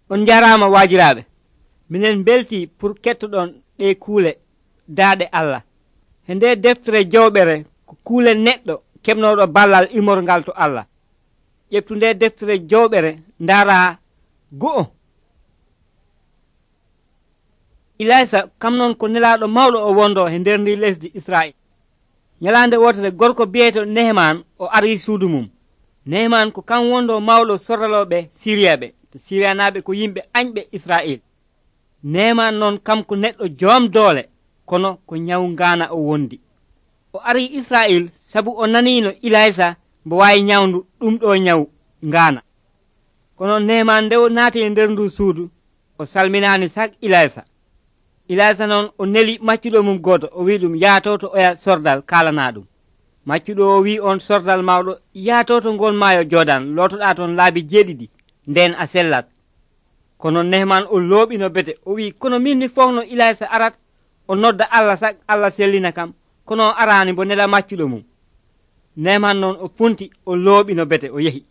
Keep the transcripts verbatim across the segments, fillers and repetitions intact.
On jarama waajiraaɓe, minen belti pour kettoɗon ɗe kuule daaɗe Allah. He nde deftere jawɓere ko kuule neɗɗo keɓnoɗo ballal imorgal to Allah. ƴeftu nde deftere jawɓere ndaara go'o. Ilaysa kam noon ko nelaɗo mawɗo o wondo he nder ndi lesdi Israil. Nyalande wotere gorko biyeto Neheman o ari suudu mum. Neheman ko kam wondo mawɗo sordaloɓe Siriyaɓe. To Siriyanaɓe ko yimɓe añɓe Israil. Neheman noon kam ko neɗɗo joom doole, kono ko nyawu ngana o wondi. O ari Israil sabu o nanino Ilaysa mbo wawi nyawndu ɗum ɗo nyawu ngana. Kono Neheman nde o naati e nder ndu suudu o salminani sak Ilaysa. Ilaysa noon o neli maccuɗo mum goto o wi ɗum yaato to oya sordal kalana ɗum. Maccuɗo o wi on sordal mawɗo yaato to ngon maayo Jodan lotoɗa toon laabi jeeɗiɗi nden a sellat. Kono Neheman o looɓino bete o wi kono min mi fofno Ilaysa arat o nodda Allah sak Allah sellina kam kono o arani bo nela maccuɗo mum. Neheman noon o funti o looɓino bete o yehi.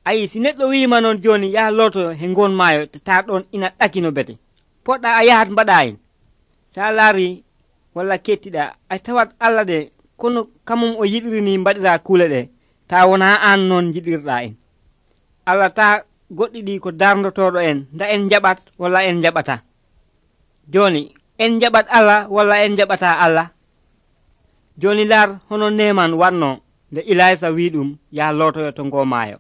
Ayi si neɗɗo wima noon joni yaha loto he ngon maayo ta ɗon ina ɗakino bete poɗɗa a yahat mbaɗa en. Sa laari walla kettiɗa a tawat Allah de kono kamum o yiɗirini mbaɗira kuule ɗe ta wona an noon jiɗirɗa en. Allah ta goɗɗi ɗi ko dardotoɗo en nda en jaɓat walla en jaɓata. Joni en jaɓat Allah walla en jaɓata Allah. Joni laar hono Neheman wanno nde Ilaysa wi ɗum yaha lotoyo to ngo maayo.